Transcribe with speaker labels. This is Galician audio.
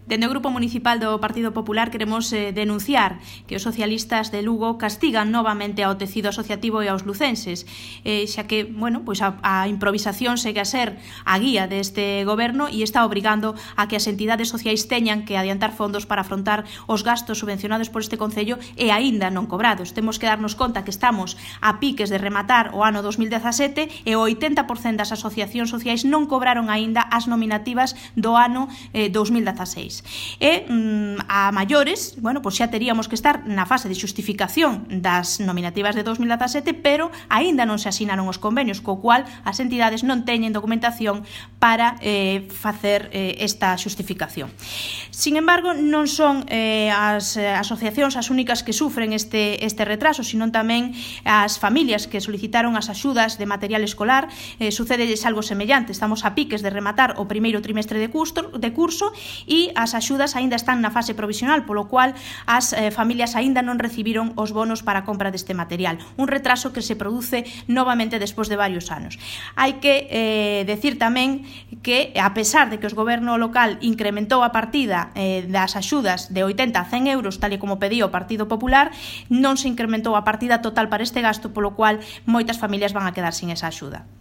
Speaker 1: Dende o Grupo Municipal do Partido Popular queremos denunciar que os socialistas de Lugo castigan novamente ao tecido asociativo e aos lucenses, xa que, pois a improvisación segue a ser a guía deste goberno e está obrigando a que as entidades sociais teñan que adiantar fondos para afrontar os gastos subvencionados por este Concello e aínda non cobrados. Temos que darnos conta que estamos a piques de rematar o ano 2017 e o 80% das asociacións sociais non cobraron aínda as nominativas do ano 2016. E a maiores, pois xa teríamos que estar na fase de xustificación das nominativas de 2017, pero aínda non se asinaron os convenios, co cual as entidades non teñen documentación para facer esta xustificación. Sin embargo, non son as asociacións as únicas que sufren este retraso, sino tamén as familias que solicitaron as axudas de material escolar. Sucedelles algo semellante, estamos a piques de rematar o primeiro trimestre de curso e as axudas aínda están na fase provisional, polo cual as familias aínda non recibiron os bonos para a compra deste material. Un retraso que se produce novamente despois de varios anos. Hai que decir tamén que, a pesar de que o goberno local incrementou a partida das axudas de 80 a 100 euros, tal e como pedía o Partido Popular, non se incrementou a partida total para este gasto, polo cual moitas familias van a quedar sin esa axuda.